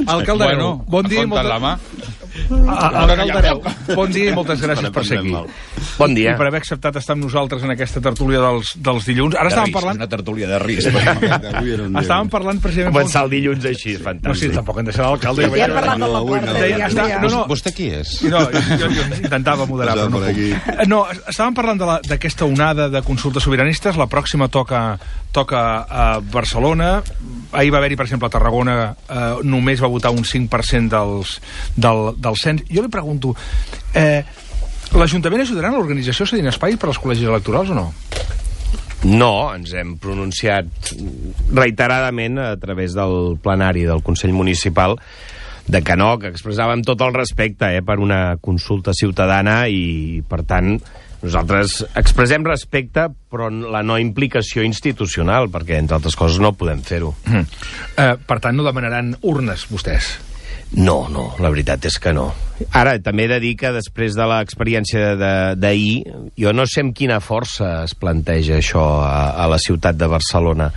Alcalde Areu, bon dia i moltes gràcies per ser aquí. Bon dia. I per haver acceptat estar amb nosaltres en aquesta tertúlia dels dilluns. Ara estàvem parlant... Una tertúlia de risc. Estàvem parlant precisament... Començar el dilluns així, fantàstic. No, sí, tampoc hem deixat l'alcalde. Ja hem parlat de la porta. Vostè qui és? No, jo intentava moderar, però no puc. No, estàvem parlant d'aquesta onada de consultes sobiranistes. La pròxima toca a Barcelona. Ahir va haver-hi, per exemple, a Tarragona, només va votar un 5% del cens. Jo li pregunto, l'Ajuntament ajudarà en l'organització cedint espai per als col·legis electorals o no? No, ens hem pronunciat reiteradament a través del plenari del Consell Municipal de que no, que expressàvem tot el respecte per una consulta ciutadana i, per tant, nosaltres expressem respecte, però la no implicació institucional, perquè, entre altres coses, no podem fer-ho. Per tant, no demanaran urnes, vostès? No, la veritat és que no. Ara, també he de dir que després de l'experiència d'ahir, jo no sé amb quina força es planteja això a la ciutat de Barcelona.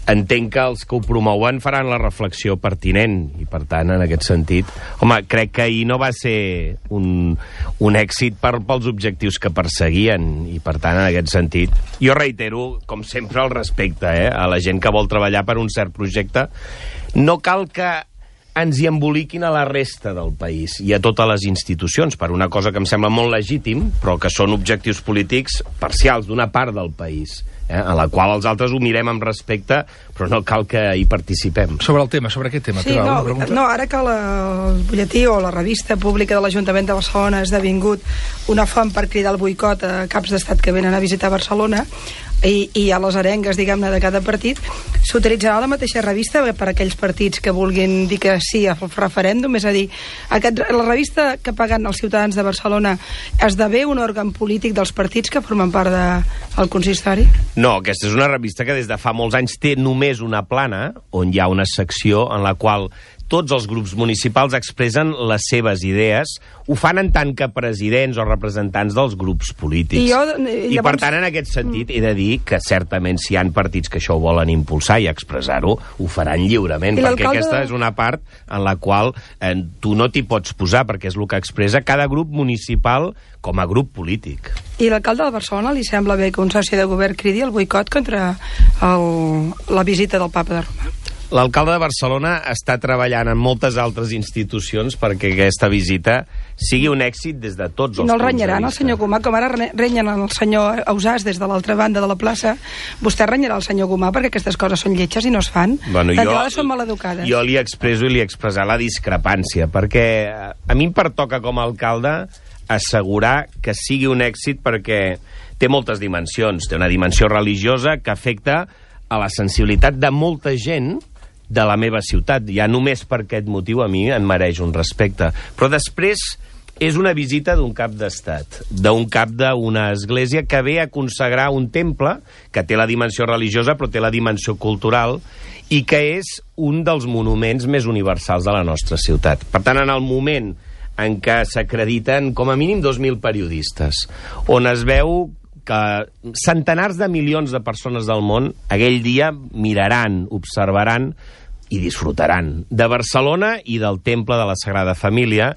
Entenc que els que ho promouen faran la reflexió pertinent, i per tant, en aquest sentit... Home, crec que ahir no va ser un èxit pels objectius que perseguien, i per tant, en aquest sentit... Jo reitero, com sempre, el respecte a la gent que vol treballar per un cert projecte. No cal que ens hi emboliquin a la resta del país i a totes les institucions, per una cosa que em sembla molt legítim, però que són objectius polítics parcials d'una part del país, a la qual els altres ho mirem amb respecte, però no cal que hi participem. Sobre el tema, sobre aquest tema. Sí, ara que el butlletí o la revista pública de l'Ajuntament de Barcelona ha esdevingut una font per cridar el boicot a caps d'estat que venen a visitar Barcelona, i a les arengues, diguem-ne, de cada partit, s'utilitzarà la mateixa revista per a aquells partits que vulguin dir que sí al referèndum? És a dir, la revista que paguen els ciutadans de Barcelona esdevé un òrgan polític dels partits que formen part del consistori? No, aquesta és una revista que des de fa molts anys té només una plana, on hi ha una secció en la qual tots els grups municipals expressen les seves idees, ho fan en tant que presidents o representants dels grups polítics. I per tant, en aquest sentit, he de dir que certament si hi ha partits que això ho volen impulsar i expressar-ho, ho faran lliurement, perquè aquesta és una part en la qual tu no t'hi pots posar, perquè és el que expressa cada grup municipal com a grup polític. I l'alcalde de Barcelona li sembla bé que un soci de govern cridi el boicot contra la visita del papa de Roma? L'alcalde de Barcelona està treballant en moltes altres institucions perquè aquesta visita sigui un èxit des de tots els punts de vista. No el renyaran, el senyor Gomà, com ara renyen el senyor Ausàs des de l'altra banda de la plaça. Vostè renyarà el senyor Gomà perquè aquestes coses són lletges i no es fan. D'entrada són maleducades. Jo li expresso i li he expressat la discrepància, perquè a mi em pertoca com a alcalde assegurar que sigui un èxit perquè té moltes dimensions. Té una dimensió religiosa que afecta a la sensibilitat de molta gent de la meva ciutat. Ja només per aquest motiu a mi em mereix un respecte. Però després és una visita d'un cap d'estat, d'un cap d'una església que ve a consagrar un temple que té la dimensió religiosa però té la dimensió cultural i que és un dels monuments més universals de la nostra ciutat. Per tant, en el moment en què s'acrediten com a mínim 2.000 periodistes, on es veu que centenars de milions de persones del món aquell dia miraran, observaran i disfrutaran de Barcelona i del Temple de la Sagrada Família.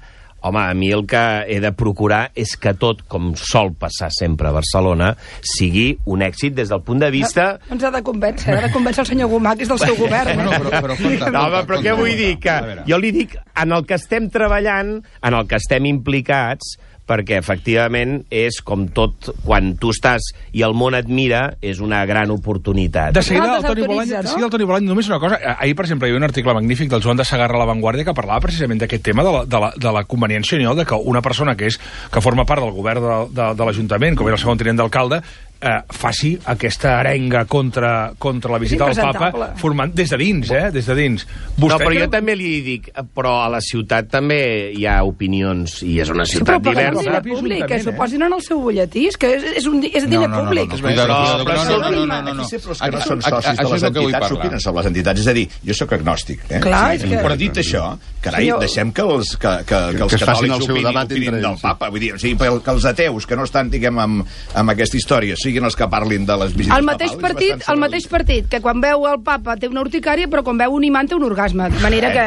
Home, a mi el que he de procurar és que tot, com sol passar sempre a Barcelona, sigui un èxit des del punt de vista... No ens ha de convèncer, el senyor Gomà, que és del seu govern. Però què vull dir? Que jo li dic, en el que estem treballant, en el que estem implicats, perquè efectivament és com tot, quan tu estàs i el món et mira, és una gran oportunitat. De seguida, el Toni Bolany, només una cosa. Ahir, per exemple, hi havia un article magnífic del Joan de Segarra a La Vanguardia que parlava precisament d'aquest tema de la conveniència o no, de que una persona que forma part del govern de l'Ajuntament, com era el segon tinent d'alcalde, faci aquesta arenga contra la visita del papa, formant des de dins, des de dins. No, però jo també li dic, però a la ciutat també hi ha opinions, i és una ciutat diversa. Públic, que s'ho posin en el seu butlletí, és que és diner públic. No. Aquí són socis de les entitats, s'opinen sobre les entitats. És a dir, jo sóc agnòstic, però dit això, carai, deixem que els catòlics opinin del papa. Vull dir, o sigui, que els ateus, que no estan, diguem, amb aquesta història, siguin els que parlin de les visites papals. El mateix partit, que quan veu el papa té una urticària, però quan veu un imant té un orgasme. De manera que...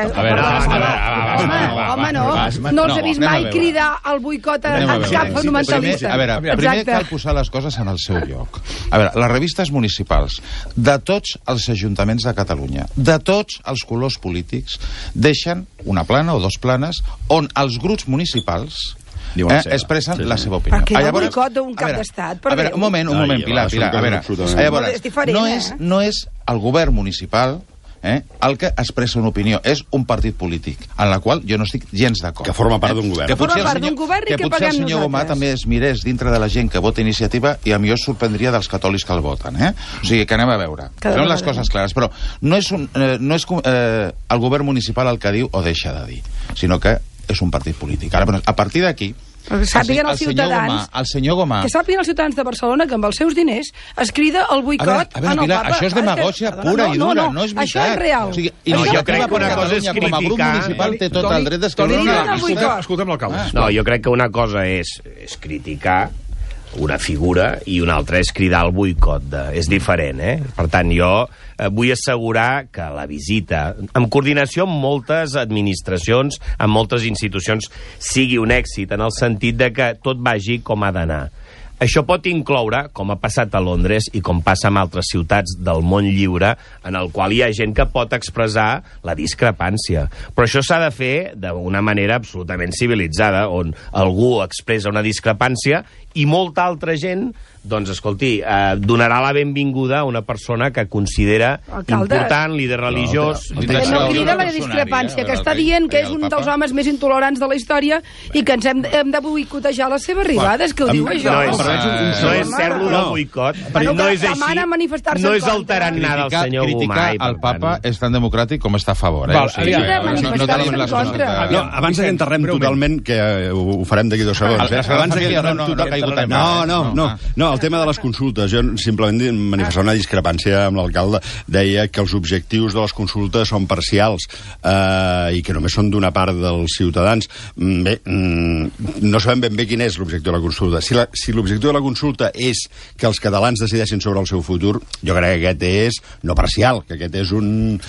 Home, no. No els he vist mai cridar al boicot a cap fonamentalista. A veure, primer cal posar les coses en el seu lloc. A veure, les revistes municipals de tots els ajuntaments de Catalunya, de tots els colors polítics, deixen una plana o dos planes on els grups municipals expressen la seva opinió. Perquè el boicot d'un cap d'estat... A veure, un moment, Pilar. A veure, llavors, no és el govern municipal el que expressa una opinió, és un partit polític, en la qual jo no estic gens d'acord. Que forma part d'un govern. Que forma part d'un govern i que paguem nosaltres. El senyor Gomà també es mirés dintre de la gent que vota iniciativa i a mi es sorprendria dels catòlics que el voten. O sigui, que anem a veure. Són les coses clares, però no és el govern municipal el que diu o deixa de dir, sinó que és un partit polític. Ara, a partir d'aquí, sàpiguen els ciutadans... El senyor Gomà... Que sàpiguen els ciutadans de Barcelona que amb els seus diners es crida el boicot en el Papa. Això és demagògia pura i dura, no és veritat. Això és real. Jo crec que una cosa és criticar... Com a grup municipal té tot el dret d'escriure... Escoltem l'alcalde. No, jo crec que una cosa és criticar una figura i una altra és cridar al boicot. És diferent, Per tant, jo vull assegurar que la visita, en coordinació amb moltes administracions, amb moltes institucions, sigui un èxit en el sentit de que tot vagi com ha d'anar. Això pot incloure, com ha passat a Londres i com passa en altres ciutats del món lliure, en el qual hi ha gent que pot expressar la discrepància. Però això s'ha de fer d'una manera absolutament civilitzada, on algú expressa una discrepància i molta altra gent, doncs, escolti, donarà la benvinguda a una persona que considera important, líder religiós... Que no crida la discrepància, que està dient que és un dels homes més intolerants de la història i que ens hem de boicotejar les seves arribades, que ho diu això. No és cert lo del boicot, no és així, no és alterant nada el senyor Gomà. Criticar el papa és tan democràtic com està a favor. Abans que enterrem totalment, que ho farem d'aquí 2 segons, abans que enterrem totalment... No, el tema de les consultes, jo simplement manifestar una discrepància amb l'alcalde. Deia que els objectius de les consultes són parcials i que només són d'una part dels ciutadans. Bé, no sabem ben bé quin és l'objectiu de la consulta. Si l'objectiu de la consulta és que els catalans decideixin sobre el seu futur, jo crec que aquest és no parcial, que aquest és un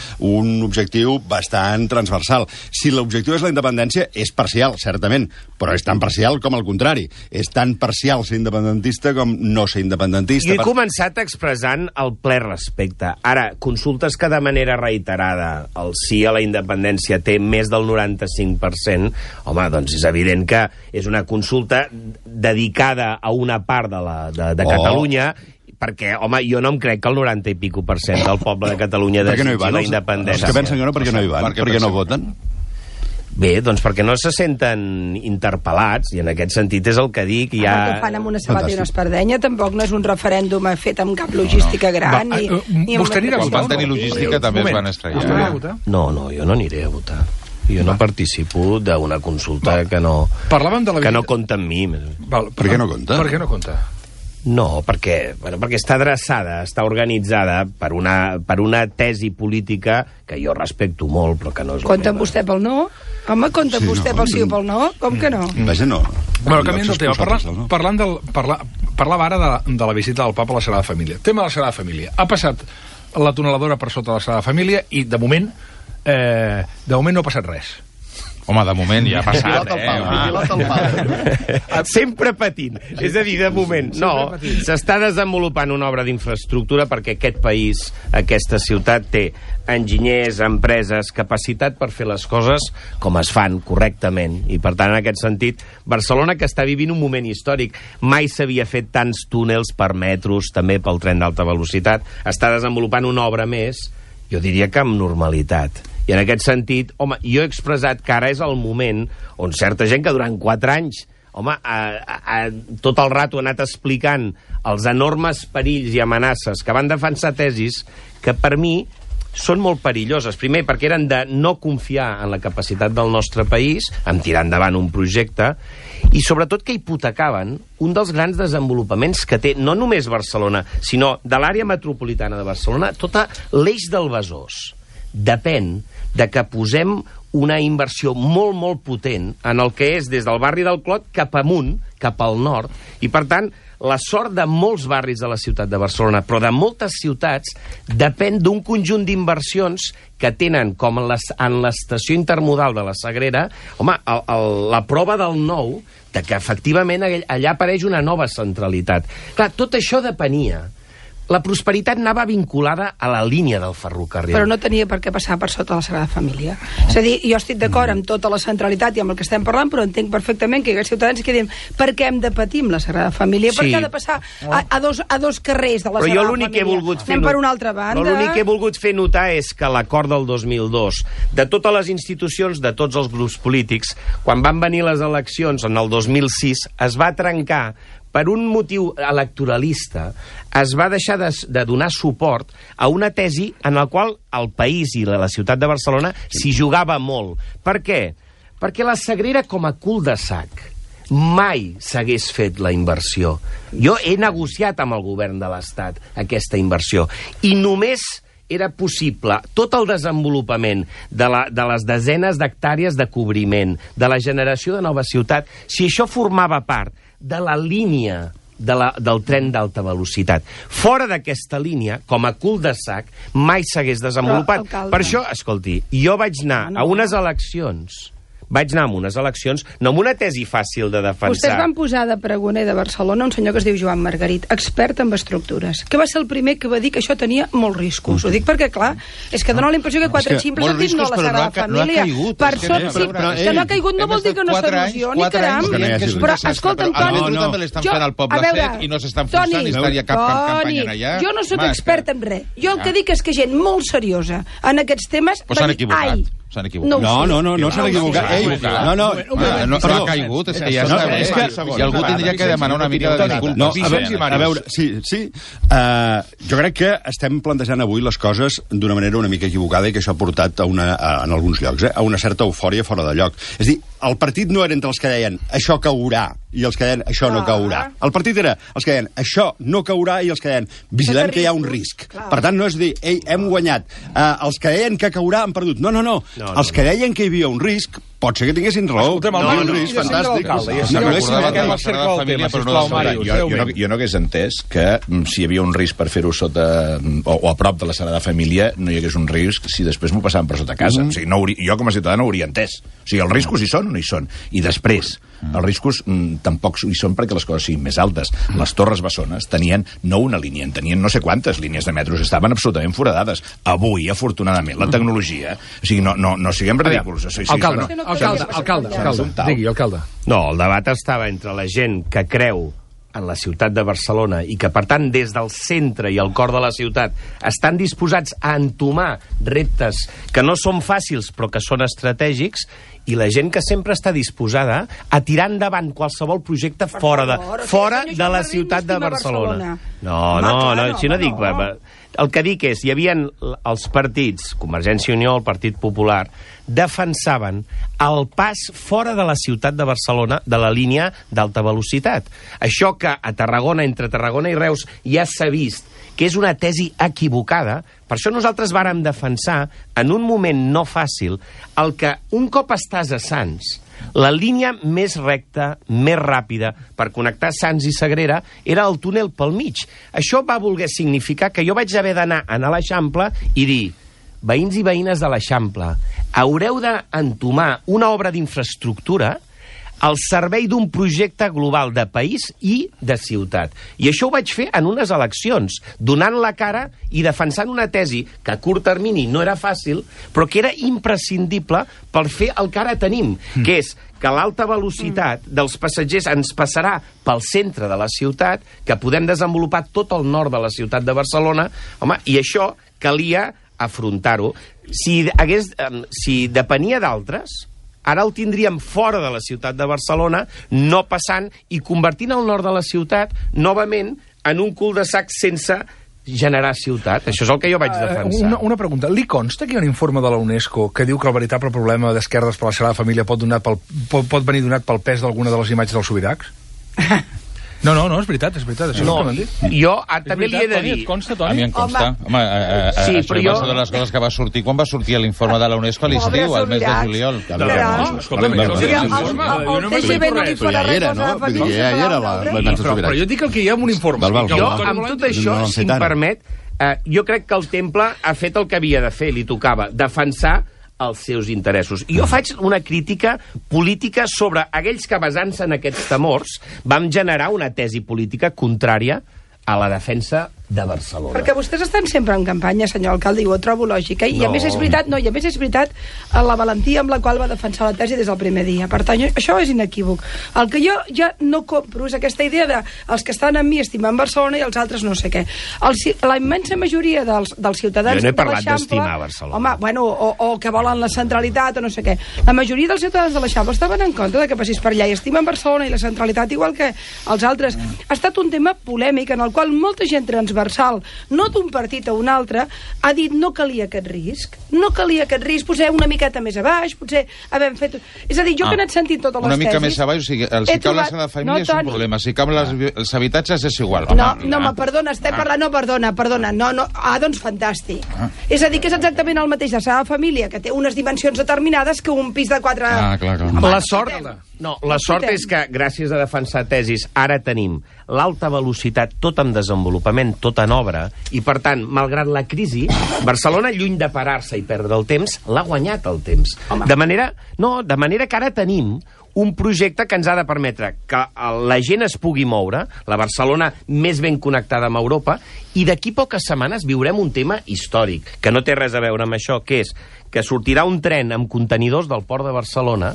objectiu bastant transversal. Si l'objectiu és la independència, és parcial, certament, però és tan parcial com el contrari. És tan parcial ser independentista com no ser independentista. Jo he començat expressant el ple respecte. Ara, consultes que de manera reiterada el sí a la independència té més del 95%, home, doncs és evident que és una consulta dedicada a una part de Catalunya, perquè, home, jo no em crec que el 90 i pico % del poble de Catalunya desitgi la independència. Els que pensen que no, per què no hi van? Per què no voten? Bé, doncs perquè no se senten interpel·lats, i en aquest sentit és el que dic. El que fan amb una sabata i una espardenya tampoc no és un referèndum fet amb cap logística gran. Vostè anirà a votar? Van tenir logística, també es van estrellar. No, jo no aniré a votar. Jo no participo d'una consulta que no compta amb mi. Per què no compta? Per què no compta? No, perquè està adreçada, està organitzada per una tesi política que jo respecto molt, però que no és la Compta amb vostè pel no? Home, compta amb vostè pel sí o pel no? Com que no? Vaja, no. Bueno, canviant del tema, parlava ara de la visita del papa a la Sagrada Família. Tema de la Sagrada Família. Ha passat la tuneladora per sota de la Sagrada Família i, de moment no ha passat res. Home, de moment ja ha passat, Sempre patint. És a dir, de moment. No, s'està desenvolupant una obra d'infraestructura perquè aquest país, aquesta ciutat, té enginyers, empreses, capacitat per fer les coses com es fan correctament. I, per tant, en aquest sentit, Barcelona, que està vivint un moment històric, mai s'havia fet tants túnels per metros, també pel tren d'alta velocitat, està desenvolupant una obra més, jo diria que amb normalitat. I en aquest sentit, home, jo he expressat que ara és el moment on certa gent que durant 4 anys, home, tot el rato ha anat explicant els enormes perills i amenaces que van defensar tesis que per mi són molt perilloses. Primer, perquè eren de no confiar en la capacitat del nostre país, en tirar endavant un projecte, i sobretot que hipotecaven un dels grans desenvolupaments que té no només Barcelona, sinó de l'àrea metropolitana de Barcelona, tot l'eix del Besòs. Depèn de que posem una inversió molt, molt potent en el que és des del barri del Clot cap amunt, cap al nord, i per tant la sort de molts barris de la ciutat de Barcelona, però de moltes ciutats, depèn d'un conjunt d'inversions que tenen, com en l'estació intermodal de la Sagrera, home, la prova del nou, de que efectivament allà apareix una nova centralitat. Clar, tot això depenia. La prosperitat anava vinculada a la línia del ferrocarril. Però no tenia per què passar per sota la Sagrada Família. És a dir, jo estic d'acord amb tota la centralitat i amb el que estem parlant, però entenc perfectament que hi ha ciutadans que diuen per què hem de patir amb la Sagrada Família? Sí. Per què ha de passar a dos carrers de la Sagrada Família? Però jo l'únic que he volgut fer... Anem per una altra banda. L'únic que he volgut fer notar és que l'acord del 2002, de totes les institucions, de tots els grups polítics, quan van venir les eleccions en el 2006, es va trencar per un motiu electoralista, es va deixar de donar suport a una tesi en la qual el país i la ciutat de Barcelona s'hi jugava molt. Per què? Perquè la Sagrera, com a cul-de-sac, mai s'hagués fet la inversió. Jo he negociat amb el govern de l'Estat aquesta inversió, i només era possible tot el desenvolupament de les desenes d'hectàrees de cobriment, de la generació de nova ciutat, si això formava part de la línia del tren d'alta velocitat. Fora d'aquesta línia, com a cul-de-sac, mai s'hagués desenvolupat. Per això, escolti, jo vaig anar a unes eleccions... no amb una tesi fàcil de defensar. Vostès van posar de pregoner de Barcelona un senyor que es diu Joan Margarit, expert en estructures, que va ser el primer que va dir que això tenia molts riscos. Ho dic perquè, clar, és que dona la impressió que quatre ximples han dit no a la Sagrada Família. Per sort, sí, que no ha caigut no vol dir que no s'erosioni, caram. Però, escolta'm, Toni... també l'estan fent al Poble Sec i no s'estan forçant i estaria cap campanya allà. Jo no sóc expert en res. Jo el que dic és que gent molt seriosa en aquests temes va dir, ai, s'han equivocat. No s'han equivocat. No ha caigut, és que ja està bé. I algú tindria que demanar una mica de disculpes. A veure, sí. Jo crec que estem plantejant avui les coses d'una manera una mica equivocada i que això ha portat en alguns llocs a una certa eufòria fora de lloc. És a dir, el partit no era entre els que deien això caurà i els que deien això no caurà. El partit era els que deien això no caurà i els que deien vigilem que hi ha un risc. Per tant, no és dir, ei, hem guanyat. Els que deien que caurà han perdut. No. Els que deien que hi havia un risc pot ser que tinguessin raó. Un risc fantàstic. Jo no hagués entès que si hi havia un risc per fer-ho sota o a prop de la Sagrada Família no hi hagués un risc si després m'ho passaven per sota casa. O sigui, jo com a ciutadà no ho hauria entès. O sigui, els riscos hi són o no hi són? I després, els riscos tampoc hi són perquè les coses siguin més altes. Les Torres Bessones tenien no una línia, en tenien no sé quantes línies de metros, estaven absolutament foradades. Avui, afortunadament, la tecnologia... O sigui, no siguem ridículs. Alcalde, digui, alcalde. No, el debat estava entre la gent que creu en la ciutat de Barcelona i que, per tant, des del centre i el cor de la ciutat estan disposats a entomar reptes que no són fàcils però que són estratègics, i la gent que sempre està disposada a tirar endavant qualsevol projecte fora de la ciutat de Barcelona. No, si no dic... El que dic és, hi havia els partits, Convergència i Unió, el Partit Popular, defensaven el pas fora de la ciutat de Barcelona de la línia d'alta velocitat. Això que a Tarragona, entre Tarragona i Reus, ja s'ha vist que és una tesi equivocada, per això nosaltres vàrem defensar, en un moment no fàcil, el que un cop estàs a Sants, la línia més recta, més ràpida, per connectar Sants i Sagrera, era el túnel pel mig. Això va voler significar que jo vaig haver d'anar a l'Eixample i dir, veïns i veïnes de l'Eixample, haureu d'entomar una obra d'infraestructura al servei d'un projecte global de país i de ciutat. I això ho vaig fer en unes eleccions, donant la cara i defensant una tesi que a curt termini no era fàcil, però que era imprescindible per fer el que ara tenim, que és que l'alta velocitat dels passatgers ens passarà pel centre de la ciutat, que podem desenvolupar tot el nord de la ciutat de Barcelona, home, i això calia afrontar-ho. Si depenia d'altres, ara el tindríem fora de la ciutat de Barcelona, no passant i convertint el nord de la ciutat novament en un cul-de-sac sense generar ciutat. Això és el que jo vaig defensar. Una pregunta. Li consta que hi ha un informe de la UNESCO que diu que el veritable problema d'esquerdes per la Sagrada Família pot venir donat pel pes d'alguna de les imatges dels Subirachs? No, és veritat, això és el que m'han dit. Jo també li he de dir... Et consta, Toni? A mi em consta. Home, sí, això va ser de les coses que va sortir quan va sortir l'informe de la UNESCO a l'estiu, al mes de juliol. Però jo dic el que hi ha en un informe. Jo, amb tot això, si em permet, jo crec que el Temple ha fet el que havia de fer, li tocava defensar els seus interessos. Jo faig una crítica política sobre aquells que, basant-se en aquests temors, vam generar una tesi política contrària a la defensa de Barcelona. Perquè vostès estan sempre en campanya, senyor alcalde, i ho trobo lògica. I a més és veritat, la valentia amb la qual va defensar la tesi des del primer dia. Per tant, això és inequívoc. El que jo ja no compro és aquesta idea de els que estan amb mi estimen Barcelona i els altres no sé què. La immensa majoria dels ciutadans jo no he parlat de l'Eixample... d'estimar Barcelona. Home, bueno, o que volen la centralitat o no sé què. La majoria dels ciutadans de l'Eixample estaven en contra de que passés per allà i estimen Barcelona i la centralitat igual que els altres. Ha estat un tema polèmic en el qual molta gent transversal, no d'un partit a un altre, ha dit no calia aquest risc, potser una miqueta més a baix, potser havem fet... És a dir, jo que he anat sentint totes les tesis... Una mica més a baix, o sigui, si cau la Sagrada Família és un problema, si cau els habitatges és igual. No, perdona, estem parlant... No, perdona, doncs fantàstic. És a dir, que és exactament el mateix de Sagrada Família, que té unes dimensions determinades que un pis de 4... Clar. La sort és que, gràcies a defensar tesis, ara tenim l'alta velocitat, tot en desenvolupament, tot en obra, i per tant, malgrat la crisi, Barcelona, lluny de parar-se i perdre el temps, l'ha guanyat el temps. De manera que ara tenim un projecte que ens ha de permetre que la gent es pugui moure, la Barcelona més ben connectada amb Europa, i d'aquí poques setmanes viurem un tema històric, que no té res a veure amb això, que és que sortirà un tren amb contenidors del port de Barcelona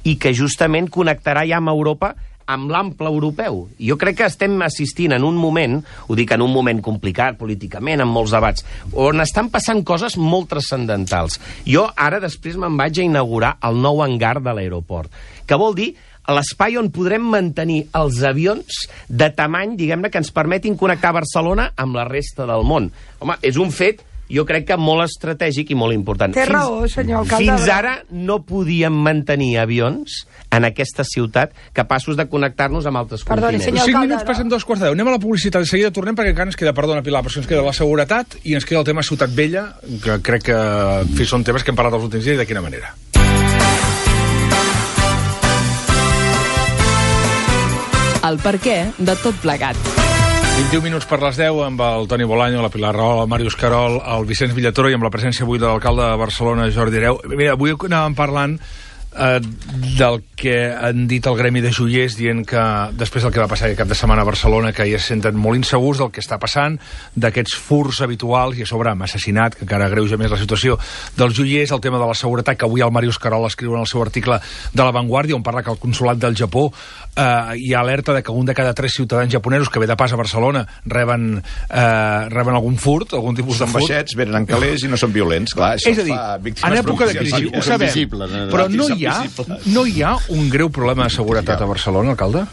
i que justament connectarà ja amb Europa amb l'ample europeu. Jo crec que estem assistint en un moment, ho dic en un moment complicat políticament, amb molts debats, on estan passant coses molt transcendentals. Jo ara després me'n vaig a inaugurar el nou hangar de l'aeroport, que vol dir l'espai on podrem mantenir els avions de tamany, diguem-ne, que ens permetin connectar Barcelona amb la resta del món. Home, és un fet, jo crec que molt estratègic i molt important. Té raó, senyor alcalde. Fins ara no podíem mantenir avions en aquesta ciutat capaços de connectar-nos amb altres continents. 5 minuts passen 2:15. Anem a la publicitat, de seguida tornem perquè encara ens queda, perdona Pilar, però ens queda la seguretat i ens queda el tema Ciutat Vella, que crec que són temes que hem parlat els últims dies i de quina manera. El perquè de tot plegat. 21 minuts per les 10 amb el Toni Bolaño, la Pilar Rahola, el Màrius Querol, el Vicenç Villatoro i amb la presència avui de l'alcalde de Barcelona, Jordi Hereu. Mira, avui anàvem parlant del que han dit el gremi de joiers, dient que després del que va passar aquest cap de setmana a Barcelona, que ja se senten molt insegurs del que està passant, d'aquests furs habituals i a sobre amb assassinat, que encara agreuja més la situació dels joiers, el tema de la seguretat, que avui el Màrius Querol escriu en el seu article de La Vanguardia, on parla que el consolat del Japó hi ha alerta de que un de cada 3 ciutadans japonesos que ve de pas a Barcelona reben algun furt, algun tipus de furt. Són baixets, venen en calés i no són violents, clar. És a dir, en època de crisi, ho sabem, però no hi ha un greu problema de seguretat a Barcelona, alcalde?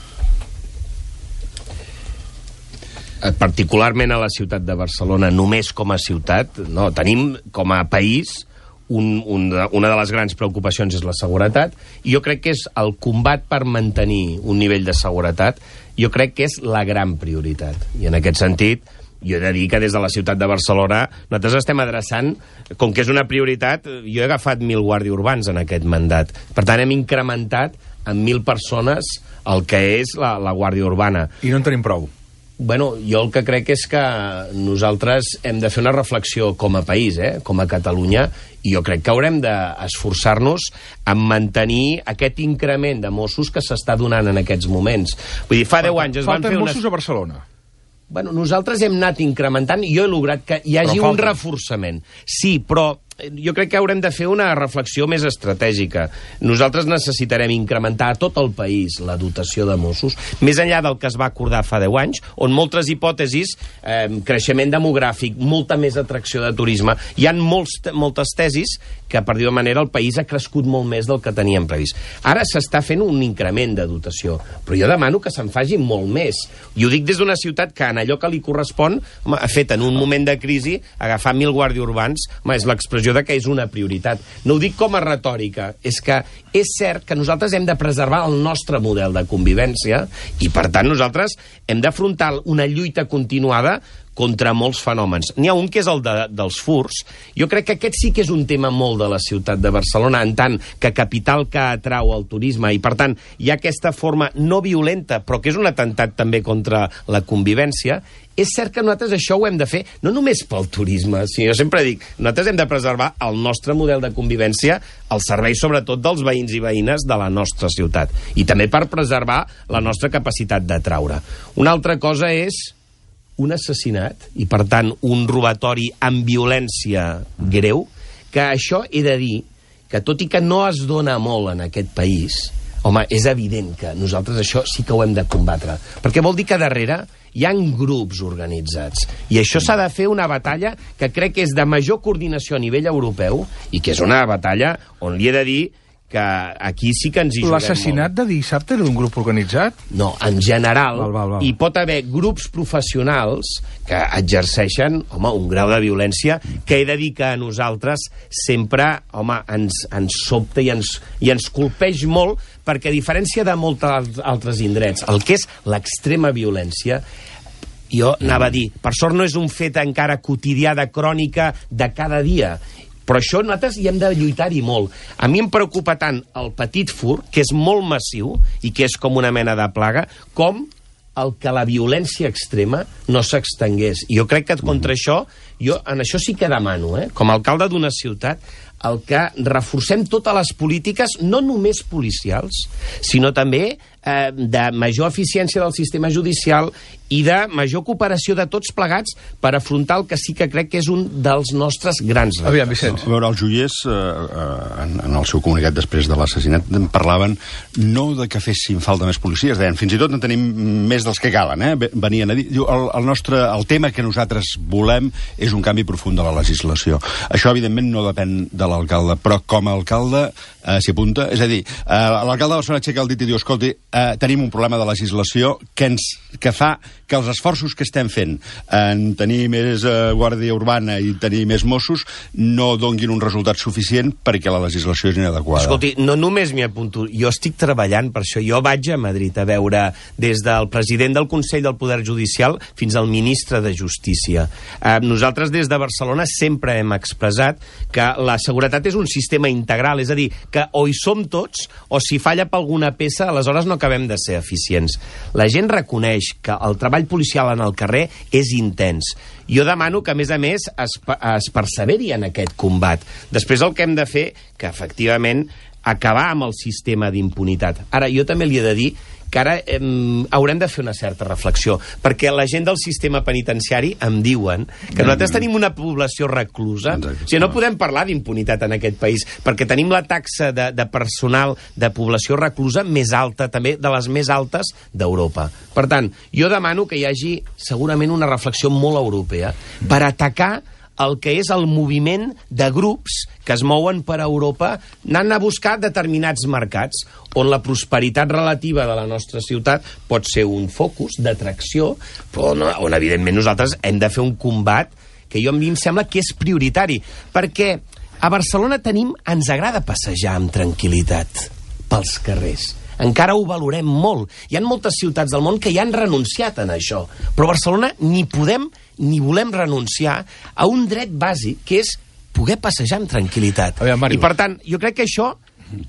Particularment a la ciutat de Barcelona, només com a ciutat, no, tenim com a país una de les grans preocupacions és la seguretat, i jo crec que és el combat per mantenir un nivell de seguretat, jo crec que és la gran prioritat. I en aquest sentit, jo he de dir que des de la ciutat de Barcelona nosaltres estem adreçant, com que és una prioritat, jo he agafat 1.000 guàrdies urbans en aquest mandat. Per tant, hem incrementat en 1.000 persones el que és la guàrdia urbana. I no en tenim prou. Bueno, jo el que crec és que nosaltres hem de fer una reflexió com a país, com a Catalunya, i jo crec que haurem d'esforçar-nos en mantenir aquest increment de Mossos que s'està donant en aquests moments. Vull dir, fa 10 anys es van fer Falten Mossos a Barcelona. Bueno, nosaltres hem anat incrementant i jo he lograt que hi hagi un reforçament. Sí, però jo crec que haurem de fer una reflexió més estratègica. Nosaltres necessitarem incrementar a tot el país la dotació de Mossos, més enllà del que es va acordar fa 10 anys, on moltes hipòtesis, creixement demogràfic, molta més atracció de turisme, hi ha moltes tesis que, per dir-ho de manera, el país ha crescut molt més del que teníem previst. Ara s'està fent un increment de dotació, però jo demano que se'n faci molt més. I ho dic des d'una ciutat que en allò que li correspon, ha fet en un moment de crisi, agafar 1.000 guàrdies urbans, és l'expressió sensació de que és una prioritat. No ho dic com a retòrica, és que és cert que nosaltres hem de preservar el nostre model de convivència i, per tant, nosaltres hem d'afrontar una lluita continuada contra molts fenòmens. N'hi ha un que és el dels furts. Jo crec que aquest sí que és un tema molt de la ciutat de Barcelona, en tant que capital que atrau el turisme, i per tant hi ha aquesta forma no violenta, però que és un atemptat també contra la convivència. És cert que nosaltres això ho hem de fer, no només pel turisme, sinó, jo sempre dic, nosaltres hem de preservar el nostre model de convivència al servei sobretot dels veïns i veïnes de la nostra ciutat, i també per preservar la nostra capacitat d'atraure. Una altra cosa és un assassinat, i per tant un robatori amb violència greu, que això he de dir que tot i que no es dona molt en aquest país, home, és evident que nosaltres això sí que ho hem de combatre, perquè vol dir que darrere hi ha grups organitzats, i això s'ha de fer una batalla que crec que és de major coordinació a nivell europeu, i que és una batalla on li he de dir que aquí sí que ens hi juguem molt. L'assassinat de dissabte era d'un grup organitzat? No, en general, val. hi pot haver grups professionals que exerceixen, home, un grau de violència que he de dir que a nosaltres sempre, home, ens sobta i ens colpeix molt, perquè a diferència de molts altres indrets, el que és l'extrema violència, jo anava a dir, per sort no és un fet encara quotidià de crònica de cada dia, però això nosaltres hi hem de lluitar-hi molt. A mi em preocupa tant el petit furt, que és molt massiu i que és com una mena de plaga, com el que la violència extrema no s'extengués. I jo crec que contra això, jo en això sí que demano, com a alcalde d'una ciutat, el que reforcem totes les polítiques, no només policials, sinó també de major eficiència del sistema judicial i de major cooperació de tots plegats per afrontar el que sí que crec que és un dels nostres grans reptes. Aviam, Vicenç. A veure, els joiers, en el seu comunicat després de l'assassinat, parlaven no de que fessin falta més policies, deien, fins i tot en tenim més dels que calen, venien a dir. El tema que nosaltres volem és un canvi profund de la legislació. Això, evidentment, no depèn de l'alcalde, però com a alcalde s'hi apunta. És a dir, l'alcalde de Barcelona aixeca el dit i diu, escolti, tenim un problema de legislació que fa que els esforços que estem fent en tenir més guàrdia urbana i tenir més Mossos no donguin un resultat suficient perquè la legislació és inadequada. Escolti, no només m'hi apunto, jo estic treballant per això. Jo vaig a Madrid a veure des del president del Consell del Poder Judicial fins al ministre de Justícia. Nosaltres des de Barcelona sempre hem expressat que la seguretat és un sistema integral, és a dir, que o hi som tots o si falla per alguna peça, aleshores no acabem de ser eficients. La gent reconeix que el treball policial en el carrer és intens. Jo demano que, a més, es perseveri en aquest combat. Després el que hem de fer, que efectivament acabar amb el sistema d'impunitat. Ara, jo també li he de dir que ara haurem de fer una certa reflexió, perquè la gent del sistema penitenciari em diuen que nosaltres tenim una població reclusa. O sigui, no podem parlar d'impunitat en aquest país, perquè tenim la taxa de personal de població reclusa més alta, també de les més altes d'Europa. Per tant, jo demano que hi hagi segurament una reflexió molt europea per atacar el que és el moviment de grups que es mouen per Europa anant a buscar determinats mercats on la prosperitat relativa de la nostra ciutat pot ser un focus d'atracció, però on evidentment nosaltres hem de fer un combat que a mi em sembla que és prioritari, perquè a Barcelona ens agrada passejar amb tranquil·litat pels carrers. Encara ho valorem molt. Hi ha moltes ciutats del món que ja han renunciat a això, però a Barcelona ni podem ni volem renunciar a un dret bàsic, que és poder passejar amb tranquil·litat. I, per tant, jo crec que això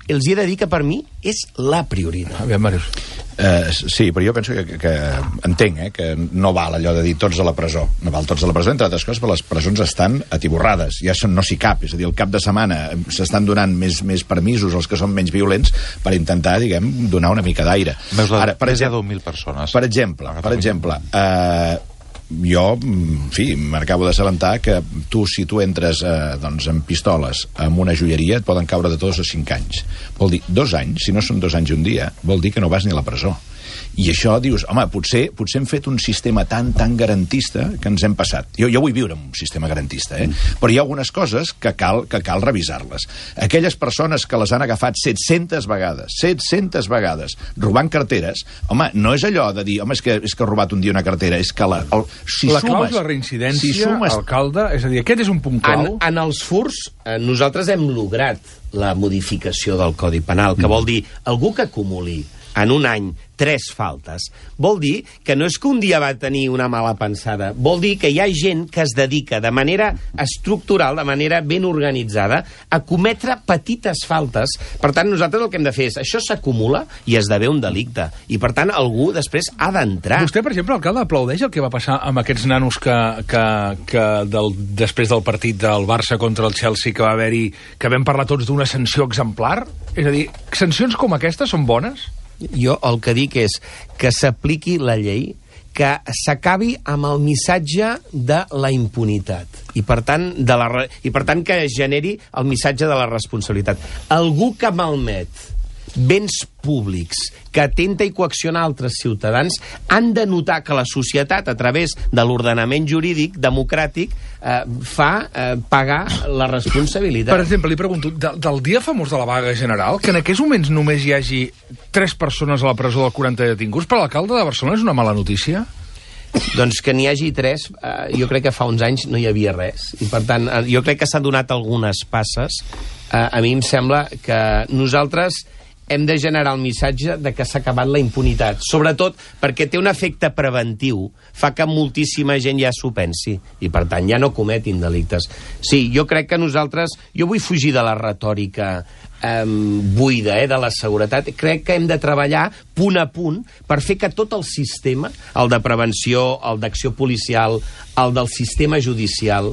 els he de dir que per mi és la prioritat. Aviam, Màrius. Sí, però jo penso que entenc que no val allò de dir tots a la presó. No val tots a la presó, entre altres coses, perquè les presons estan atiborrades. Ja no s'hi cap. És a dir, el cap de setmana s'estan donant més permisos als que són menys violents per intentar, diguem, donar una mica d'aire. Ara, més de 10.000 persones. Per exemple, jo, en fi, m'acabo d'assabentar que si tu entres amb pistoles en una joieria et poden caure de 2 a 5 anys. Vol dir 2 anys, si no són 2 anys i un dia, vol dir que no vas ni a la presó. I això dius, home, potser hem fet un sistema tan garantista que ens hem passat. Jo vull viure en un sistema garantista, però hi ha algunes coses que cal revisar-les. Aquelles persones que les han agafat 700 vegades robant carteres, home, no és allò de dir, home, és que ha robat un dia una cartera, és que la clau és la reincidència, alcalde, és a dir, aquest és un punt clau. En els furts, nosaltres hem lograt la modificació del Codi Penal, que vol dir algú que acumuli en un any 3 faltes, vol dir que no és que un dia va tenir una mala pensada, vol dir que hi ha gent que es dedica de manera estructural, de manera ben organitzada, a cometre petites faltes. Per tant, nosaltres el que hem de fer és, això s'acumula i esdevé un delicte. I, per tant, algú després ha d'entrar. Vostè, per exemple, alcalde, aplaudeix el que va passar amb aquests nanos que després del partit del Barça contra el Chelsea, que va haver-hi, que vam parlar tots d'una sanció exemplar? És a dir, sancions com aquestes són bones? Jo el que dic és que s'apliqui la llei, que s'acabi amb el missatge de la impunitat i per tant que es generi el missatge de la responsabilitat. Algú que malmet béns públics, que atenta i coacciona altres ciutadans, han de notar que la societat, a través de l'ordenament jurídic democràtic, fa pagar la responsabilitat. Per exemple, li pregunto, del dia famós de la vaga general, que en aquests moments només hi hagi 3 persones a la presó del 40 detinguts, per l'alcalde de Barcelona és una mala notícia? Doncs que n'hi hagi 3, jo crec que fa uns anys no hi havia res. I per tant, jo crec que s'han donat algunes passes. A mi em sembla que nosaltres hem de generar el missatge de que s'ha acabat la impunitat, sobretot perquè té un efecte preventiu, fa que moltíssima gent ja s'ho pensi, i per tant ja no cometin delictes. Sí, jo crec que jo vull fugir de la retòrica buida, de la seguretat. Crec que hem de treballar punt a punt per fer que tot el sistema, el de prevenció, el d'acció policial, el del sistema judicial,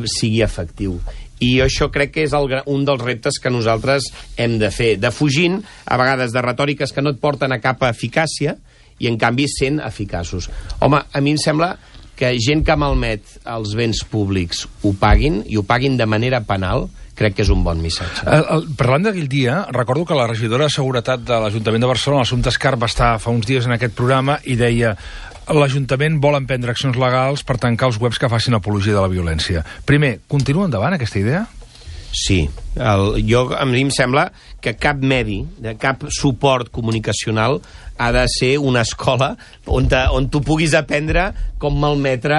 sigui efectiu. I això crec que és un dels reptes que nosaltres hem de fer, defugint, a vegades, de retòriques que no et porten a cap eficàcia i, en canvi, sent eficaços. Home, a mi em sembla que gent que malmet els béns públics ho paguin, i ho paguin de manera penal, crec que és un bon missatge. Parlant d'aquell dia, recordo que la regidora de Seguretat de l'Ajuntament de Barcelona, Assumpta Escarp, va estar fa uns dies en aquest programa i deia: l'Ajuntament vol emprendre accions legals per tancar els webs que facin apologia de la violència. Primer, continua endavant aquesta idea? Sí. A mi em sembla que cap medi, cap suport comunicacional ha de ser una escola on tu puguis aprendre com malmetre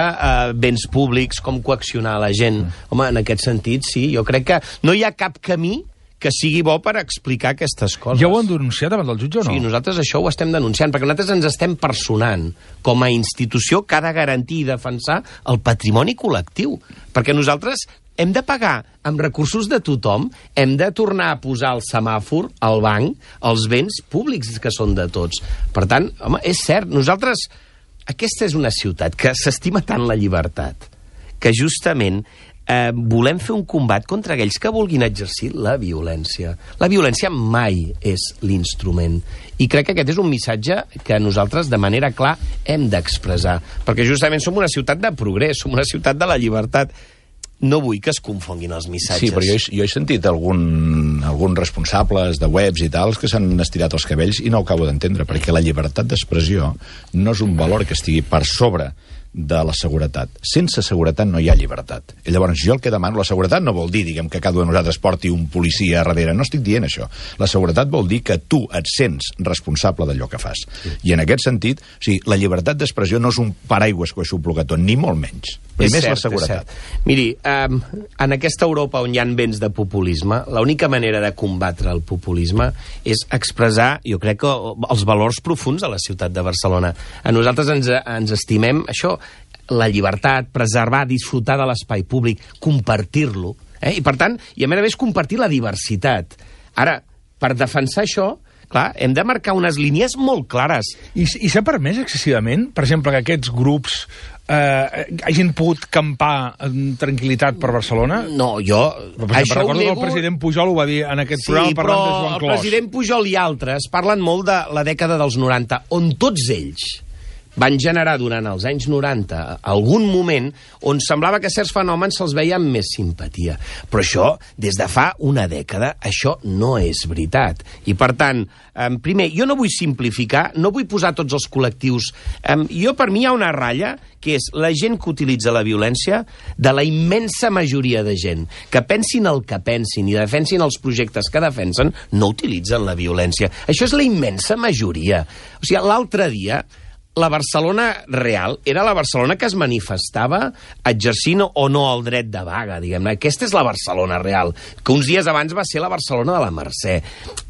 béns públics, com coaccionar la gent. Home, en aquest sentit, sí, jo crec que no hi ha cap camí que sigui bo per explicar aquestes coses. Ja ho han denunciat davant del jutge o no? Sí, nosaltres això ho estem denunciant, perquè nosaltres ens estem personant com a institució que ha de garantir i defensar el patrimoni col·lectiu. Perquè nosaltres hem de pagar amb recursos de tothom, hem de tornar a posar el semàfor, el banc, els béns públics que són de tots. Per tant, home, és cert, nosaltres... Aquesta és una ciutat que s'estima tant la llibertat, que justament volem fer un combat contra aquells que vulguin exercir la violència. La violència mai és l'instrument. I crec que aquest és un missatge que nosaltres, de manera clara, hem d'expressar. Perquè justament som una ciutat de progrés, som una ciutat de la llibertat. No vull que es confonguin els missatges. Sí, però jo he sentit alguns responsables de webs i tals que s'han estirat els cabells i no ho acabo d'entendre, perquè la llibertat d'expressió no és un valor que estigui per sobre de la seguretat. Sense seguretat no hi ha llibertat. I llavors jo el que demano, la seguretat no vol dir, diguem, que cada un de nosaltres porti un policia a darrere, no estic dient això. La seguretat vol dir que tu et sents responsable d'allò que fas. I en aquest sentit, o sigui, la llibertat d'expressió no és un paraigües que ho aixopluga tot, ni molt menys. Primer és la seguretat. Miri, en aquesta Europa on hi ha vents de populisme, l'única manera de combatre el populisme és expressar, jo crec, que els valors profuns de la ciutat de Barcelona. A nosaltres ens estimem això, la llibertat, preservar, disfrutar de l'espai públic, compartir-lo, i per tant, i a més compartir la diversitat. Ara, per defensar això, clar, hem de marcar unes línies molt clares. I s'ha permès excessivament, per exemple, que aquests grups hagin pogut campar en tranquil·litat per Barcelona? No, jo... Recordo que el president Pujol ho va dir en aquest programa parlant de Joan Clos. El president Pujol i altres parlen molt de la dècada dels 90, on tots ells van generar durant els anys 90 algun moment on semblava que certs fenòmens se'ls veia amb més simpatia. Però això, des de fa una dècada, això no és veritat. I, per tant, primer, jo no vull simplificar, no vull posar tots els col·lectius... Per mi hi ha una ratlla que és la gent que utilitza la violència, de la immensa majoria de gent, que pensin el que pensin i defensin els projectes que defensen, no utilitzen la violència. Això és la immensa majoria. O sigui, l'altre dia, la Barcelona real era la Barcelona que es manifestava exercint o no el dret de vaga, diguem-ne. Aquesta és la Barcelona real, que uns dies abans va ser la Barcelona de la Mercè.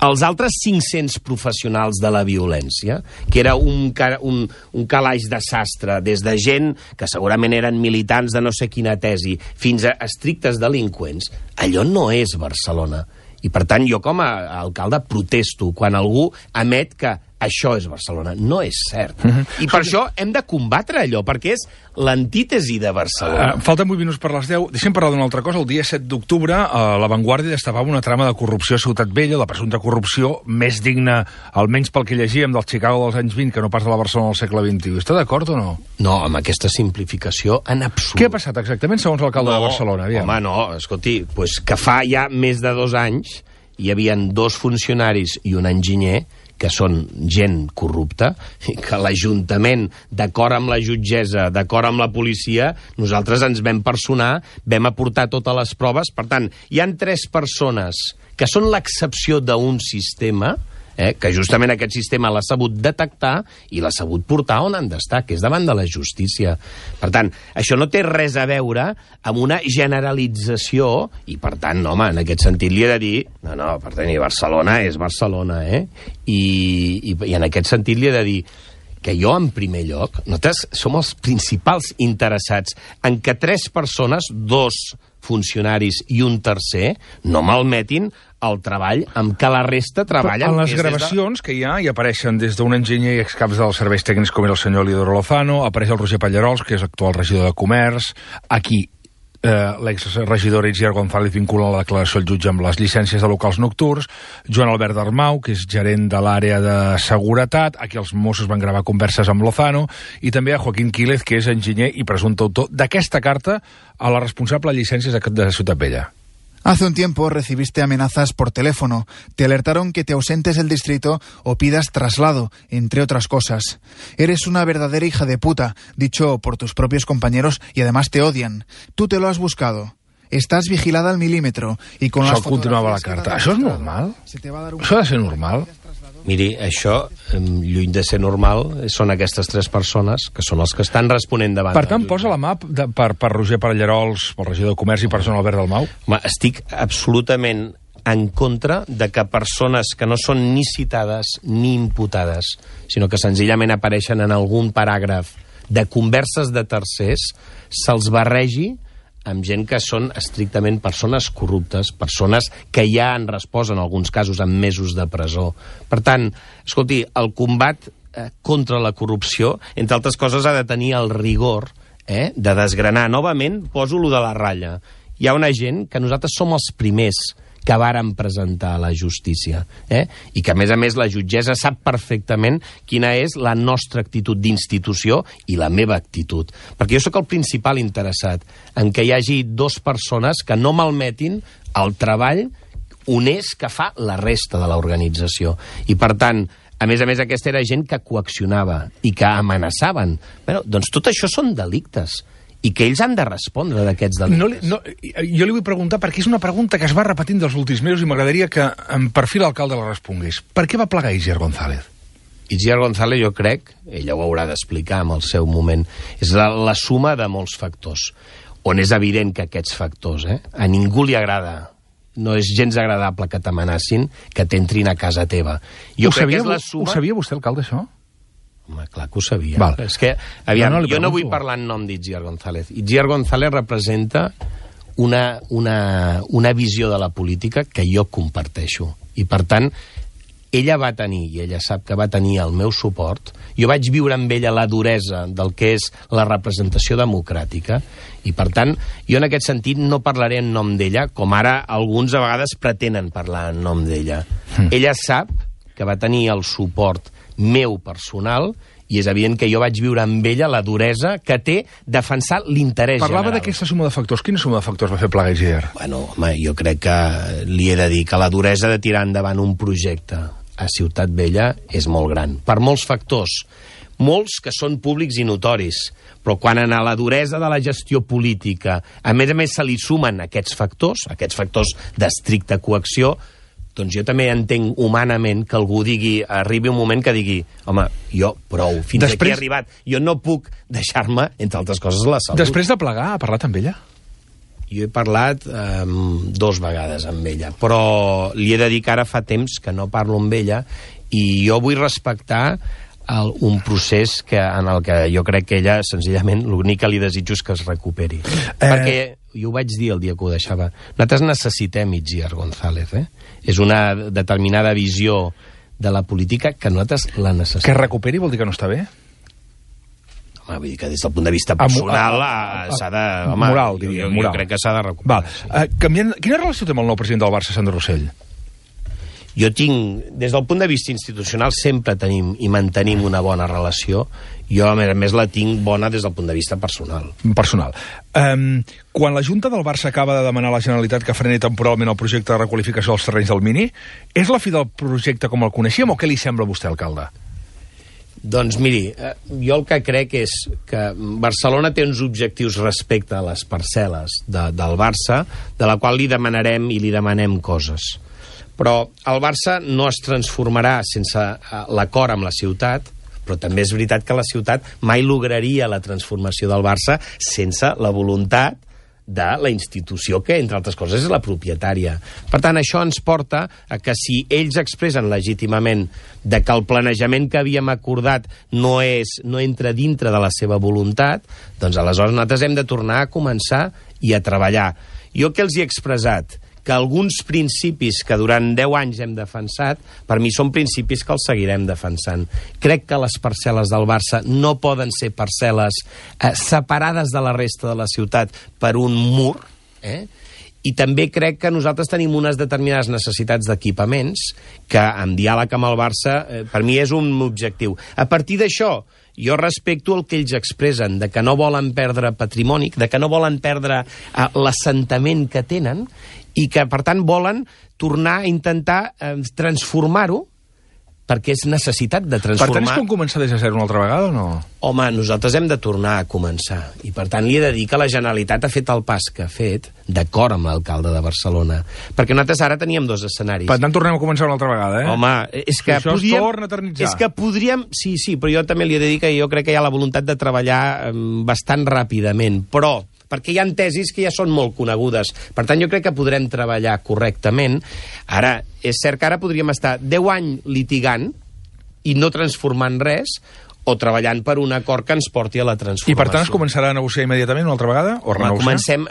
Els altres 500 professionals de la violència, que era un calaix de sastre, des de gent que segurament eren militants de no sé quina tesi, fins a estrictes delinqüents, allò no és Barcelona. I, per tant, jo com a alcalde protesto quan algú emet que això és Barcelona. No és cert. I per això hem de combatre allò, perquè és l'antítesi de Barcelona. Falten 8 minuts per les 10. Deixem parlar d'una altra cosa. El dia 7 d'octubre, La Vanguardia destapava una trama de corrupció a Ciutat Vella, la presumpta corrupció més digna, almenys pel que llegíem, del Chicago dels anys 20, que no pas de la Barcelona del segle XXI. Està d'acord o no? No, amb aquesta simplificació en absolut. Què ha passat exactament, segons l'alcalde de Barcelona? Aviam. Home, no, escolti, pues que fa ja més de 2 anys hi havia 2 funcionaris i un enginyer que són gent corrupta, i que l'Ajuntament, d'acord amb la jutgessa, d'acord amb la policia, nosaltres ens vam personar, vam aportar totes les proves. Per tant, hi han 3 persones que són l'excepció d'un sistema, que justament aquest sistema l'ha sabut detectar i l'ha sabut portar on han d'estar, que és davant de la justícia. Per tant, això no té res a veure amb una generalització i, per tant, home, en aquest sentit li he de dir no, per tenir Barcelona és Barcelona, I en aquest sentit li he de dir que jo, en primer lloc, nosaltres som els principals interessats en que 3 persones, 2 funcionaris i un tercer, no malmetin el treball amb què la resta treballen. En les gravacions que hi ha, hi apareixen des d'un enginyer i excaps dels serveis tècnics com era el senyor Lidoro Lozano, apareix el Roger Pallarols, que és actual regidor de Comerç, aquí l'exregidor Itziar González vincula la declaració al jutge amb les llicències de locals nocturns, Joan Albert Darmau, que és gerent de l'àrea de seguretat, aquí els Mossos van gravar converses amb Lozano, i també a Joaquín Quílez, que és enginyer i presumpte autor d'aquesta carta a la responsable de llicències de Ciutat Vella. Hace un tiempo recibiste amenazas por teléfono. Te alertaron que te ausentes del distrito o pidas traslado, entre otras cosas. Eres una verdadera hija de puta, dicho por tus propios compañeros, y además te odian. Tú te lo has buscado. Estás vigilada al milímetro y con las continuava la carta. Això és normal? Això ha de ser normal? Miri, això, lluny de ser normal, són aquestes 3 persones que són els que estan responent davant. Per tant, posa la mà per Roger Pallarols, pel regidor de Comerç i per Joan Albert Dalmau? Home, estic absolutament en contra de que persones que no són ni citades ni imputades, sinó que senzillament apareixen en algun paràgraf de converses de tercers, se'ls barregi amb gent que són estrictament persones corruptes, persones que ja han respost en alguns casos amb mesos de presó. Per tant, escolti, el combat contra la corrupció, entre altres coses, ha de tenir el rigor de desgranar. Novament, poso lo de la ratlla. Hi ha una gent que nosaltres som els primers que vàrem presentar a la justícia, i que, a més, la jutgessa sap perfectament quina és la nostra actitud d'institució i la meva actitud. Perquè jo sóc el principal interessat en que hi hagi 2 persones que no malmetin el treball honest que fa la resta de l'organització. I, per tant, a més, aquesta era gent que coaccionava i que amenaçaven. Bé, doncs tot això són delictes. I que ells han de respondre d'aquests delictes. Jo li vull preguntar, perquè és una pregunta que es va repetint dels últims mesos i m'agradaria que en perfil l'alcalde la respongués. Per què va plegar Itziar González? Itziar González, jo crec, ella ho haurà d'explicar en el seu moment, és la suma de molts factors, on és evident que aquests factors a ningú li agrada. No és gens agradable que t'amenacin, que t'entrin a casa teva. Ho sabia vostè, alcalde, això? Home, clar que ho sabia. Val. És que, aviam, jo no vull parlar en nom d'Itziar González. Itziar González representa una visió de la política que jo comparteixo. I, per tant, ella va tenir, i ella sap que va tenir el meu suport. Jo vaig viure amb ella la duresa del que és la representació democràtica, i, per tant, jo en aquest sentit no parlaré en nom d'ella, com ara alguns a vegades pretenen parlar en nom d'ella. Ella sap que va tenir el suport meu personal, i és evident que jo vaig viure amb ella la duresa que té defensar l'interès general. Parlava d'aquesta suma de factors. Quina suma de factors va fer plegar Isidre? Bueno, home, jo crec que li he de dir que la duresa de tirar endavant un projecte a Ciutat Vella és molt gran. Per molts factors, molts que són públics i notoris, però quan a la duresa de la gestió política, a més se li sumen aquests factors d'estricta coacció, doncs jo també entenc humanament que algú arribi un moment que digui, home, jo prou, fins aquí he arribat, jo no puc deixar-me, entre altres coses, la salut. Després de plegar, ha parlat amb ella? Jo he parlat 2 vegades amb ella, però li he de dir que ara fa temps que no parlo amb ella i jo vull respectar un procés en el que jo crec que ella, senzillament, l'únic que li desitjo és que es recuperi. Perquè, jo ho vaig dir el dia que ho deixava, nosaltres necessitem Itziar González, És una determinada visió de la política que nosaltres la necessitem. Que recuperi vol dir que no està bé? Home, vull dir que des del punt de vista personal s'ha de... Home, moral, diria. Jo crec que s'ha de recuperar. Quina relació té amb el nou president del Barça, Sandro Rossell? Jo tinc, des del punt de vista institucional, sempre tenim i mantenim una bona relació. Jo, a més, la tinc bona des del punt de vista personal. Quan la Junta del Barça acaba de demanar a la Generalitat que freni temporalment el projecte de requalificació dels terrenys del Mini, és la fi del projecte com el coneixíem o què li sembla a vostè, alcalde? Doncs miri, jo el que crec és que Barcelona té uns objectius respecte a les parcel·les del Barça, de la qual li demanarem i li demanem coses. Però el Barça no es transformarà sense l'acord amb la ciutat, però també és veritat que la ciutat mai lograria la transformació del Barça sense la voluntat de la institució que, entre altres coses, és la propietària. Per tant, això ens porta a que si ells expressen legítimament de que el planejament que havíem acordat no entra dintre de la seva voluntat, doncs aleshores nosaltres hem de tornar a començar i a treballar. Jo que els hi he expressat que alguns principis que durant 10 anys hem defensat, per mi són principis que els seguirem defensant. Crec que les parcel·les del Barça no poden ser parcel·les separades de la resta de la ciutat per un mur, i també crec que nosaltres tenim unes determinades necessitats d'equipaments que, en diàleg amb el Barça, per mi és un objectiu. A partir d'això, jo respecto el que ells expressen, de que no volen perdre patrimoni, de que no volen perdre l'assentament que tenen, i que, per tant, volen tornar a intentar transformar-ho, perquè és necessitat de transformar... Per tant, és com començar des de zero una altra vegada o no? Home, nosaltres hem de tornar a començar. I, per tant, li he de dir que la Generalitat ha fet el pas que ha fet, d'acord amb l'alcalde de Barcelona. Perquè nosaltres ara teníem 2 escenaris. Per tant, tornem a començar una altra vegada, Home, és que això podríem... es torna a eternitzar. És que podríem... Sí, però jo també li he de dir que jo crec que hi ha la voluntat de treballar bastant ràpidament, però perquè hi ha tesis que ja són molt conegudes. Per tant, jo crec que podrem treballar correctament. Ara, és cert que ara podríem estar 10 anys litigant i no transformant res, o treballant per un acord que ens porti a la transformació. I per tant es començarà a negociar immediatament una altra vegada? O comencem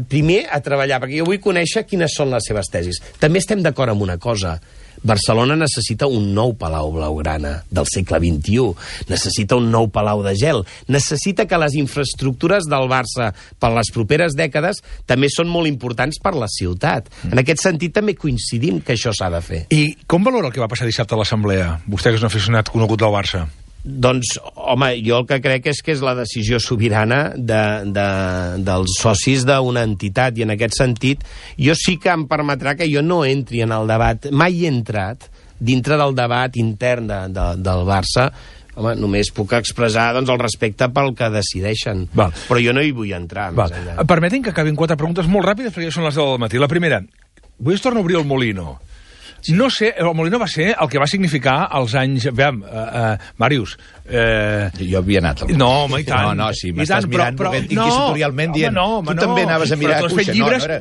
primer a treballar, perquè jo vull conèixer quines són les seves tesis. També estem d'acord amb una cosa. Barcelona necessita un nou Palau Blaugrana del segle XXI, necessita un nou Palau de Gel, necessita que les infraestructures del Barça per les properes dècades també són molt importants per la ciutat. En aquest sentit també coincidim que això s'ha de fer. I com valora el que va passar dissabte a l'Assemblea? Vostè que és un aficionat conegut del Barça. Doncs, home, jo el que crec és que és la decisió sobirana dels socis d'una entitat, i en aquest sentit jo sí que em permetrà que jo no entri en el debat, mai he entrat dintre del debat intern del Barça. Home, només puc expressar el respecte pel que decideixen. Però jo no hi vull entrar més enllà. Permetin que acabin 4 preguntes molt ràpides perquè ja són les 10 del matí. La primera, avui es torna a obrir el Molino. No sé, el Molino va ser el que va significar els anys... Veiem, Màrius... Jo havia anat. No, home, i tant. No, si m'estàs mirant inquisitorialment dient... Tu també anaves a mirar a Cuixa.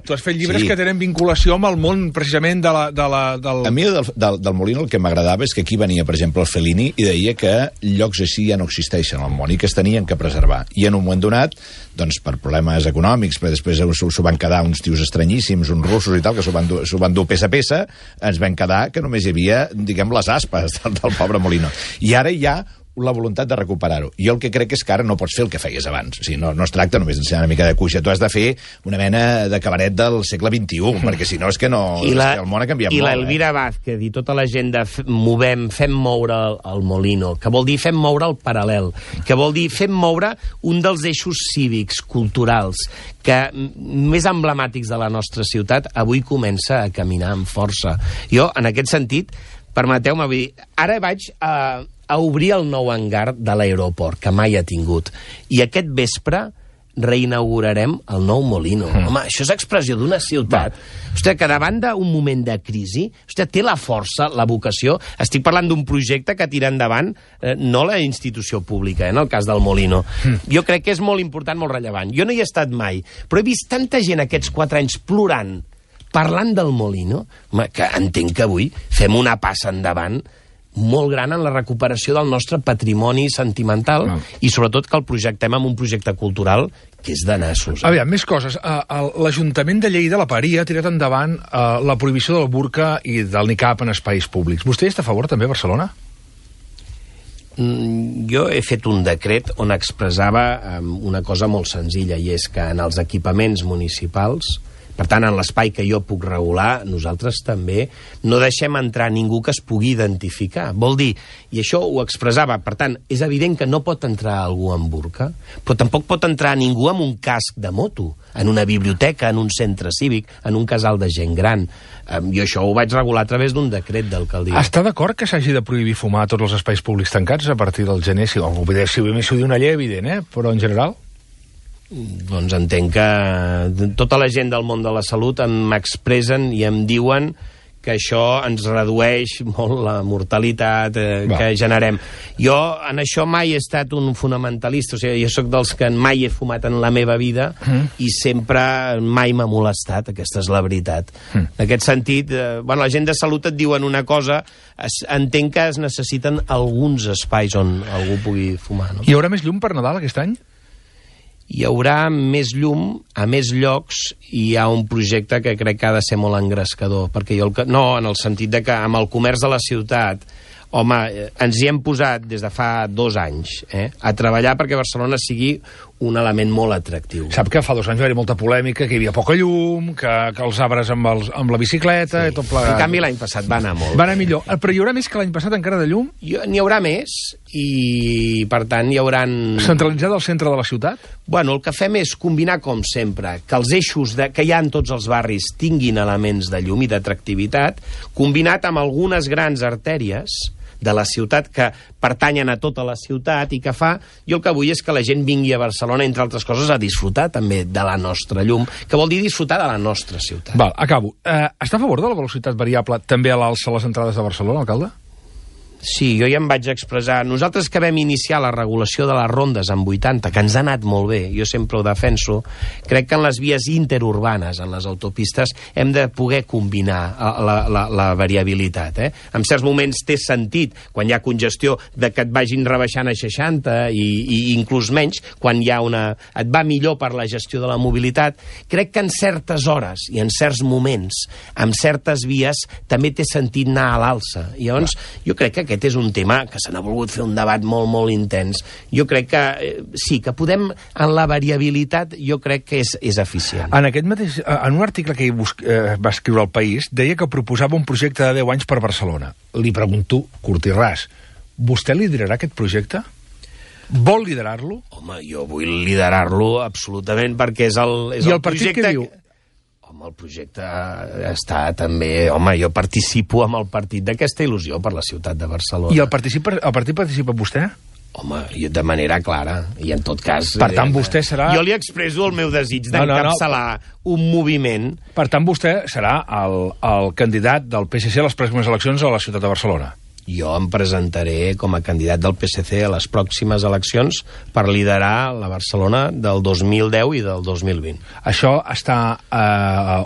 Tu has fet llibres que tenen vinculació amb el món, precisament, del... A mi del Molino el que m'agradava és que aquí venia, per exemple, el Fellini i deia que llocs així ja no existeixen al món i que es tenien que preservar. I en un moment donat, doncs per problemes econòmics, però després s'ho van quedar uns tios estranyíssims, uns russos i tal, que s'ho van dur peça a peça, ens vam quedar que només hi havia, diguem, les aspes del pobre Molino. I ara hi ha la voluntat de recuperar-ho. Jo el que crec és que ara no pots fer el que feies abans. O sigui, no es tracta només d'ensenyar una mica de cuixa. Tu has de fer una mena de cabaret del segle XXI, perquè si no és que no... I el món ha canviat molt. I l'Elvira Vázquez i tota la gent de fem moure el Molino, que vol dir fem moure el Paral·lel, que vol dir fem moure un dels eixos cívics, culturals, que més emblemàtics de la nostra ciutat, avui comença a caminar amb força. Jo, en aquest sentit, permeteu-me dir, ara vaig a obrir el nou hangar de l'aeroport, que mai ha tingut. I aquest vespre reinaugurarem el nou Molino. Home, això és expressió d'una ciutat. Hòstia, que davant d'un moment de crisi, hòstia, té la força, la vocació. Estic parlant d'un projecte que tira endavant no la institució pública, en el cas del Molino. Jo crec que és molt important, molt rellevant. Jo no hi he estat mai, però he vist tanta gent aquests 4 anys plorant, parlant del Molino, home, que entenc que avui fem una passa endavant molt gran en la recuperació del nostre patrimoni sentimental i sobretot que el projectem amb un projecte cultural que és de nassos. Aviam, més coses. L'Ajuntament de Lleida, la Paria, ha tirat endavant la prohibició del burca i del niqab en espais públics. Vostè està a favor també a Barcelona? Jo he fet un decret on expressava una cosa molt senzilla, i és que en els equipaments municipals, per tant, en l'espai que jo puc regular, nosaltres també no deixem entrar ningú que es pugui identificar. Vol dir, i això ho expressava, per tant, és evident que no pot entrar algú amb burca, però tampoc pot entrar ningú amb un casc de moto, en una biblioteca, en un centre cívic, en un casal de gent gran. Jo això ho vaig regular a través d'un decret d'alcaldia. Està d'acord que s'hagi de prohibir fumar a tots els espais públics tancats a partir del gener? Si ho diu una llei, evident, però en general... Doncs entenc que tota la gent del món de la salut m'expressen i em diuen que això ens redueix molt la mortalitat que generem. Jo en això mai he estat un fonamentalista, o sigui, jo sóc dels que mai he fumat en la meva vida i sempre mai m'ha molestat, aquesta és la veritat. En aquest sentit, la gent de salut et diuen una cosa, entenc que es necessiten alguns espais on algú pugui fumar. No? Hi haurà més llum per Nadal aquest any? Hi haurà més llum a més llocs i hi ha un projecte que crec que ha de ser molt engrescador, perquè no, en el sentit de que amb el comerç de la ciutat, home, ens hi hem posat des de fa 2 anys a treballar perquè Barcelona sigui un element molt atractiu. Sap que fa 2 anys va haver molta polèmica, que hi havia poca llum, que els arbres amb la bicicleta... Sí. I tot plegat. En canvi, l'any passat va anar molt. Va anar millor. Però hi haurà més que l'any passat encara de llum? N'hi haurà més i, per tant, hi hauran... Centralitzada al centre de la ciutat? Bueno, el que fem és combinar, com sempre, que els eixos que hi ha en tots els barris tinguin elements de llum i d'atractivitat, combinat amb algunes grans artèries de la ciutat que pertanyen a tota la ciutat i que fa... Jo el que vull és que la gent vingui a Barcelona, entre altres coses, a disfrutar també de la nostra llum, que vol dir disfrutar de la nostra ciutat. Val, acabo. Està a favor de la velocitat variable també a l'alça a les entrades de Barcelona, alcalde? Sí, jo ja em vaig expressar. Nosaltres que vam iniciar la regulació de les rondes en 80, que ens ha anat molt bé, jo sempre ho defenso, crec que en les vies interurbanes, en les autopistes, hem de poder combinar la variabilitat. En certs moments té sentit, quan hi ha congestió, de que et vagin rebaixant a 60 i inclús menys, quan hi ha et va millor per la gestió de la mobilitat. Crec que en certes hores i en certs moments, amb certes vies, també té sentit anar a l'alça. I llavors, jo crec que aquest és un tema que se n'ha volgut fer un debat molt, molt intens. Jo crec que sí, que podem, en la variabilitat, jo crec que és eficient. En un article que va escriure El País, deia que proposava un projecte de 10 anys per Barcelona. Li pregunto, curt i ras, vostè liderarà aquest projecte? Vol liderar-lo? Home, jo vull liderar-lo absolutament, perquè és el I el partit projecte... què diu? Home, el projecte està també... Home, jo participo amb el partit d'aquesta il·lusió per la ciutat de Barcelona. I el partit participa vostè? Home, jo de manera clara, i en tot cas... Per tant, vostè serà... Jo li expresso el meu desig d'encapçalar un moviment... Per tant, vostè serà el candidat del PSC a les pròximes eleccions a la ciutat de Barcelona. Jo em presentaré com a candidat del PSC a les pròximes eleccions per liderar la Barcelona del 2010 i del 2020. Això està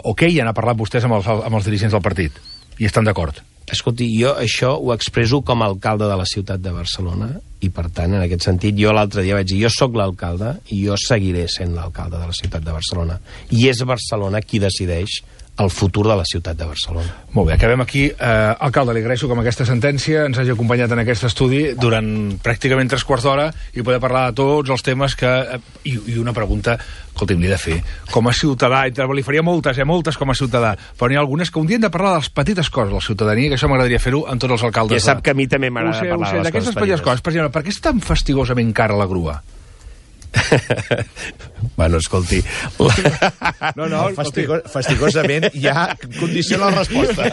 ok? Ja n'ha parlat vostès amb els dirigents del partit? I estan d'acord? Escolti, jo això ho expresso com a alcalde de la ciutat de Barcelona i, per tant, en aquest sentit, jo l'altre dia vaig dir jo sóc l'alcalde i jo seguiré sent l'alcalde de la ciutat de Barcelona. I és Barcelona qui decideix el futur de la ciutat de Barcelona. Molt bé, acabem aquí. Alcalde, li agraeixo que amb aquesta sentència ens hagi acompanyat en aquest estudi durant pràcticament 3/4 d'hora i poder parlar de tots els temes que... I una pregunta, escolti'm, li he de fer. Com a ciutadà, li faria moltes com a ciutadà, però n'hi ha algunes que un dia hem de parlar de les petites coses de la ciutadania, que això m'agradaria fer-ho amb tots els alcaldes. Ja sap que a mi també m'agrada parlar de les d'aquestes petites coses. Per exemple, per què és tan fastigosament cara la grua? Bueno, escolti... Fastigosament ja condiciona la resposta.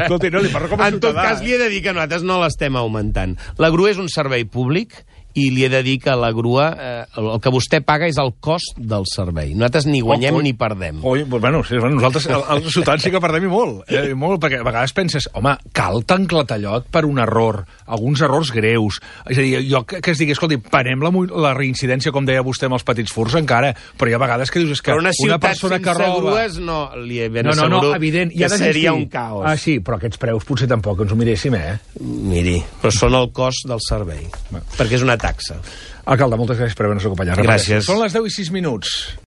Escolti, no, li parlo com a ciutadà. En tot cas, li he de dir que nosaltres no l'estem augmentant. La grua és un servei públic i li he de dir que la grua, el que vostè paga és el cost del servei. Nosaltres ni guanyem ni perdem. Bueno, nosaltres, els ciutadans sí que perdem i molt, perquè a vegades penses, home, cal tan clatallot per un error, alguns errors greus. És a dir, jo que es digui, escolti, parem la reincidència, com deia vostè, amb els petits furts encara, però hi ha vegades que dius és que una persona que roba... grues, no, li he ben assegurat evident, que seria un caos. Ah, sí, però aquests preus potser tampoc ens ho miréssim, Miri, però són el cost del servei, perquè és una taxa. Alcalde, moltes gràcies per haver-nos acompanyat. Gràcies. Són les 10:06.